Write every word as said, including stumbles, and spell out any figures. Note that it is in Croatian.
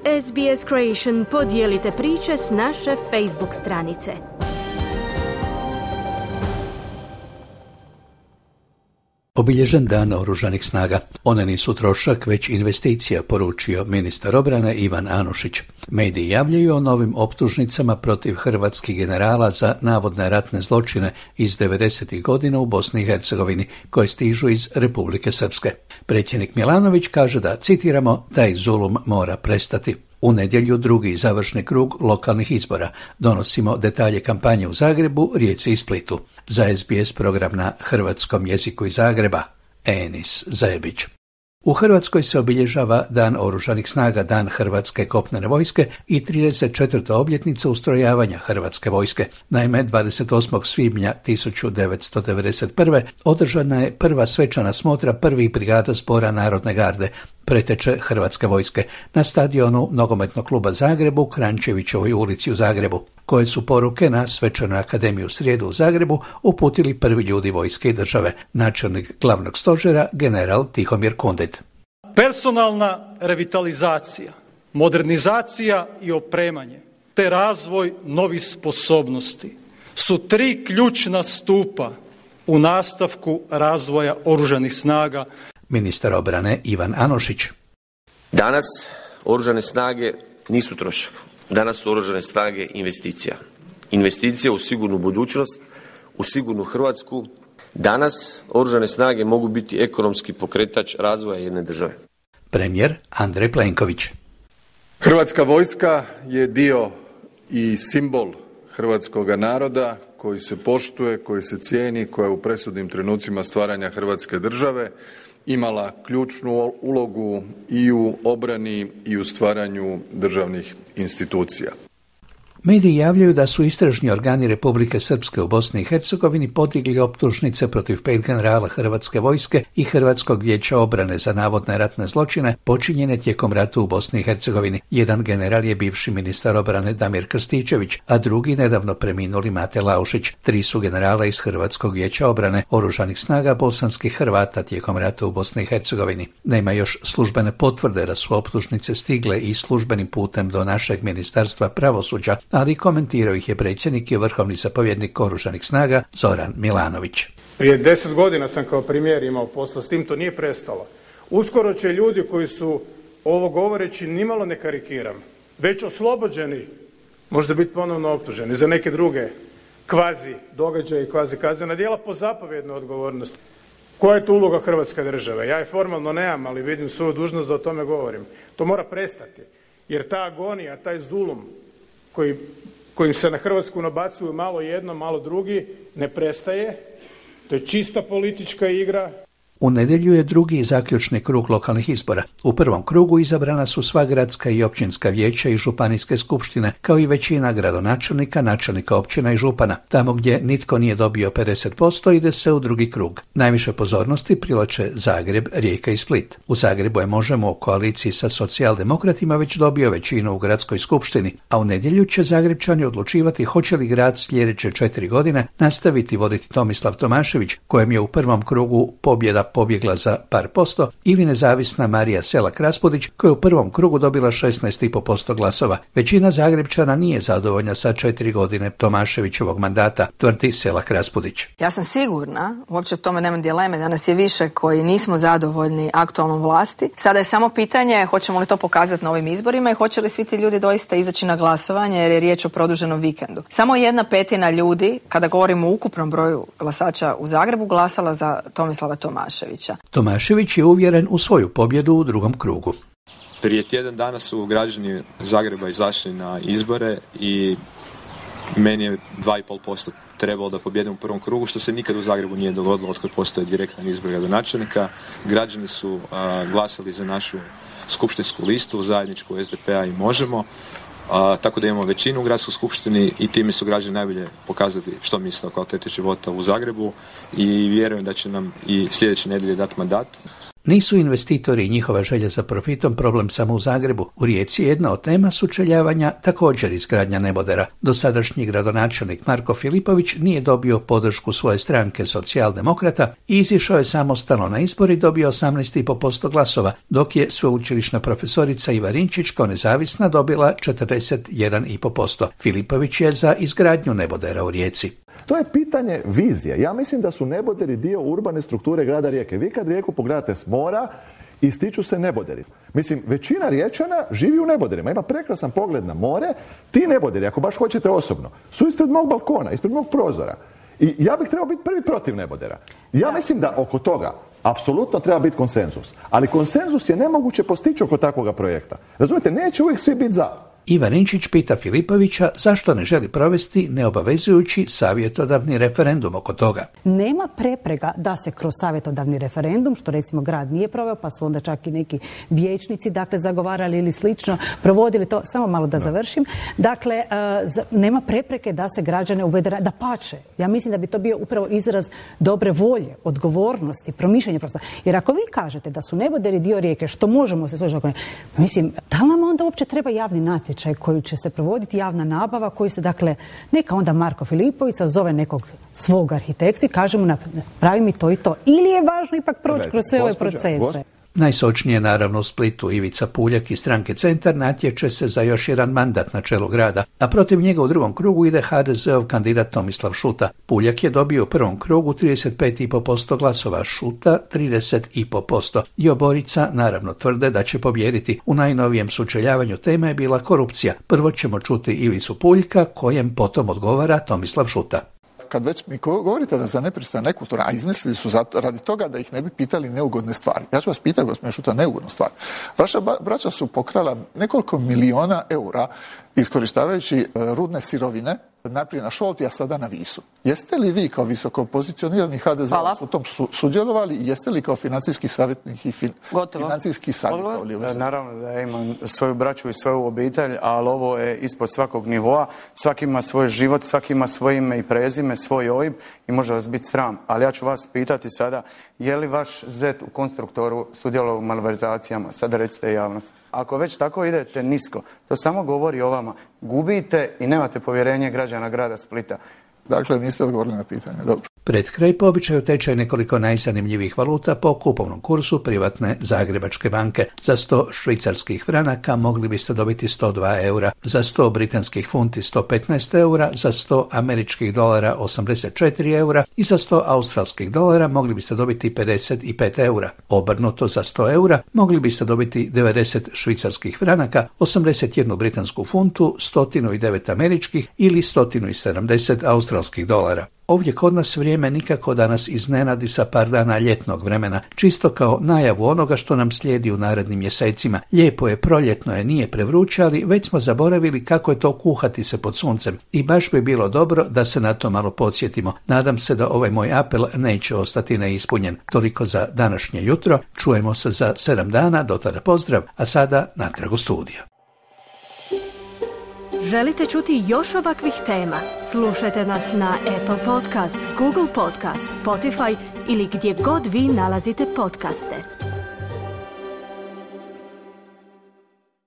S B S Creation podijelite priče s naše Facebook stranice. Obilježen dan Oružanih snaga. One nisu trošak, već investicija, poručio ministar obrane Ivan Anušić. Mediji javljaju o novim optužnicama protiv hrvatskih generala za navodne ratne zločine iz devedesetih godina u Bosni i Hercegovini, koje stižu iz Republike Srpske. Predsjednik Milanović kaže da, citiramo, taj zulum mora prestati. U nedjelju drugi završni krug lokalnih izbora. Donosimo detalje kampanje u Zagrebu, Rijeci i Splitu. Za S B S program na hrvatskom jeziku iz Zagreba, Enis Zajebić. U Hrvatskoj se obilježava Dan Oružanih snaga, Dan Hrvatske kopnene vojske i trideset četvrta obljetnica ustrojavanja Hrvatske vojske. Naime, dvadeset osmog svibnja tisuću devetsto devedeset prve. održana je prva svečana smotra prvih brigada zbora Narodne garde, preteče Hrvatske vojske, na stadionu Nogometnog kluba Zagreb u Krančevićevoj ulici u Zagrebu. Koje su poruke na Svečanoj akademiji u srijedu u Zagrebu uputili prvi ljudi vojske i države, načelnik glavnog stožera general Tihomir Kundit. Personalna revitalizacija, modernizacija i opremanje, te razvoj novih sposobnosti su tri ključna stupa u nastavku razvoja Oružanih snaga. Ministar obrane Ivan Anušić. Danas Oružane snage nisu trošak. Danas su Oružane snage investicija. Investicija u sigurnu budućnost, u sigurnu Hrvatsku. Danas Oružane snage mogu biti ekonomski pokretač razvoja jedne države. Premijer Andrej Plenković. Hrvatska vojska je dio i simbol hrvatskoga naroda koji se poštuje, koji se cijeni, koja je u presudnim trenucima stvaranja Hrvatske države imala ključnu ulogu i u obrani i u stvaranju državnih institucija. Mediji javljaju da su istražni organi Republike Srpske u Bosni i Hercegovini podigli optužnice protiv pet generala Hrvatske vojske i Hrvatskog vijeća obrane za navodne ratne zločine počinjene tijekom rata u Bosni i Hercegovini. Jedan general je bivši ministar obrane Damir Krstičević, a drugi nedavno preminuli Mate Laušić. Tri su generala iz Hrvatskog vijeća obrane Oružanih snaga bosanskih Hrvata tijekom rata u Bosni i Hercegovini. Nema još službene potvrde da su optužnice stigle i službenim putem do našeg ministarstva pravosuđa, ali komentirao ih je predsjednik i vrhovni zapovjednik Oružanih snaga Zoran Milanović. Prije deset godina sam kao premijer imao posla s tim, to nije prestalo. Uskoro će ljudi koji su, ovo govoreći nimalo ne karikiram, već oslobođeni, možda biti ponovno optuženi za neke druge kvazi događaje i kvazi kaznena djela po zapovjednoj odgovornosti. Koja je tu uloga Hrvatske države? Ja je formalno nemam, ali vidim svoju dužnost da o tome govorim. To mora prestati, jer ta agonija, taj zulum koji, kojim se na Hrvatsku nabacuju malo jedno, malo drugi, ne prestaje. To je čista politička igra. U nedjelju je drugi zaključni krug lokalnih izbora. U prvom krugu izabrana su sva gradska i općinska vijeća i županijske skupštine, kao i većina gradonačelnika, načelnika općina i župana. Tamo gdje nitko nije dobio pedeset posto ide se u drugi krug. Najviše pozornosti privlače Zagreb, Rijeka i Split. U Zagrebu je Možemo u koaliciji sa socijaldemokratima već dobio većinu u gradskoj skupštini, a u nedjelju će Zagrebčani odlučivati hoće li grad sljedeće četiri godine nastaviti voditi Tomislav Tomašević, kojem je u prvom krugu pobjeda pobjegla za par posto, ili nezavisna Marija Selak-Raspudić, koja je u prvom krugu dobila šesnaest zarez pet posto glasova. Većina Zagrebčana nije zadovoljna sa četiri godine Tomaševićevog mandata, tvrdi Selak-Raspudić. Ja sam sigurna, uopće o tome nema dileme, da nas je više koji nismo zadovoljni aktualnom vlasti. Sada je samo pitanje hoćemo li to pokazati na ovim izborima i hoće li svi ti ljudi doista izaći na glasovanje, jer je riječ o produženom vikendu. Samo jedna petina ljudi, kada govorimo o ukupnom broju glasača u Zagrebu, glasala za Tomislava Tomaševića. Tomašević je uvjeren u svoju pobjedu u drugom krugu. Prije tjedan dana su građani Zagreba izašli na izbore i meni je dva i pol posto trebalo da pobjedim u prvom krugu, što se nikad u Zagrebu nije dogodilo otkad postoje direktan izbor gradonačelnika. Građani su a, glasali za našu skupštinsku listu, zajedničku es de pe a i Možemo. A, tako da imamo većinu u gradskoj skupštini i time su građani najbolje pokazati što misle o kvaliteti života u Zagrebu i vjerujem da će nam i sljedeće nedjelje dati mandat. Nisu investitori i njihova želja za profitom problem samo u Zagrebu. U Rijeci jedna od tema sučeljavanja također izgradnja nebodera. Dosadašnji gradonačelnik Marko Filipović nije dobio podršku svoje stranke Socijaldemokrata i izišao je samostalno na izbor i dobio osamnaest zarez pet posto glasova, dok je sveučilišna profesorica Iva Rinčić kao nezavisna dobila četrdeset jedan zarez pet posto. Filipović je za izgradnju nebodera u Rijeci. To je pitanje vizije. Ja mislim da su neboderi dio urbane strukture grada Rijeke. Vi kad Rijeku pogledate s mora, ističu se neboderi. Mislim, većina Riječana živi u neboderima. Ima prekrasan pogled na more. Ti neboderi, ako baš hoćete osobno, su ispred mog balkona, ispred mog prozora. I ja bih trebao biti prvi protiv nebodera. Ja mislim da oko toga apsolutno treba biti konsenzus. Ali konsenzus je nemoguće postići oko takvoga projekta. Razumijete, neće uvijek svi biti za. Iva Rinčić pita Filipovića zašto ne želi provesti neobavezujući savjetodavni referendum oko toga. Nema prepreka da se kroz savjetodavni referendum, što recimo grad nije proveo, pa su onda čak i neki vijećnici dakle zagovarali ili slično, provodili to, samo malo da završim. Dakle, nema prepreke da se građane uvede, da pače. Ja mislim da bi to bio upravo izraz dobre volje, odgovornosti, promišljanja prostora. Jer ako vi kažete da su neboderi dio Rijeke, što možemo se složiti, mislim, da li nam onda uopće treba javni natječaj koji će se provoditi, javna nabava, koji se, dakle, neka onda Marko Filipović zove nekog svog arhitekta i kaže mu pravi mi to i to. Ili je važno ipak proći kroz sve ove procese? Najsočnije naravno u Splitu. Ivica Puljak iz stranke Centar natječe se za još jedan mandat na čelu grada, a protiv njega u drugom krugu ide ha de zeov kandidat Tomislav Šuta. Puljak je dobio u prvom krugu trideset pet zarez pet posto glasova, Šuta trideset zarez pet posto. I oborica naravno tvrde da će pobijediti. U najnovijem sučeljavanju tema je bila korupcija. Prvo ćemo čuti Ivicu Puljka, kojem potom odgovara Tomislav Šuta. Kad već mi govorite da za nepristojan nekulturan, a izmislili su zato, radi toga da ih ne bi pitali neugodne stvari. Ja ću vas pitati, gospodine Šuta, neugodnu stvar. Vaša braća su pokrala nekoliko miliona eura iskorištavajući rudne sirovine, najprije na Šolti, a sada na Visu. Jeste li vi kao visoko pozicionirani ha de zeovac u tom su, sudjelovali i jeste li kao financijski savjetnik i fin, financijski savjetovali? Naravno da ja imam svoju braću i svoju obitelj, ali ovo je ispod svakog nivoa. Svaki ima svoj život, svaki ima svoje ime i prezime, svoj O I B i može vas biti sram. Ali ja ću vas pitati sada, je li vaš zet u konstruktoru sudjelovao u malverzacijama? Sada recite javnost. Ako već tako idete nisko, to samo govori o vama. Gubite i nemate povjerenje građana grada Splita. Dakle, niste odgovorili na pitanje. Dobro. Pred kraj po običaju tečaj nekoliko najzanimljivih valuta po kupovnom kursu privatne Zagrebačke banke. Za sto švicarskih franaka mogli biste dobiti sto dva eura, za sto britanskih funti sto petnaest eura, za sto američkih dolara osamdeset četiri eura i za sto australskih dolara mogli biste dobiti pedeset pet eura. Obrnuto, za sto eura mogli biste dobiti devedeset švicarskih franaka, osamdeset jednu britansku funtu, sto devet američkih ili sto sedamdeset australskih dolara. Ovdje kod nas vrijeme nikako da nas iznenadi sa par dana ljetnog vremena, čisto kao najavu onoga što nam slijedi u narednim mjesecima. Lijepo je, proljetno je, nije prevruće, ali već smo zaboravili kako je to kuhati se pod suncem i baš bi bilo dobro da se na to malo podsjetimo. Nadam se da ovaj moj apel neće ostati neispunjen. Toliko za današnje jutro, čujemo se za sedam dana, do tada pozdrav, a sada natrag u studiju. Želite čuti još ovakvih tema? Slušajte nas na Apple Podcast, Google Podcast, Spotify ili gdje god vi nalazite podcaste.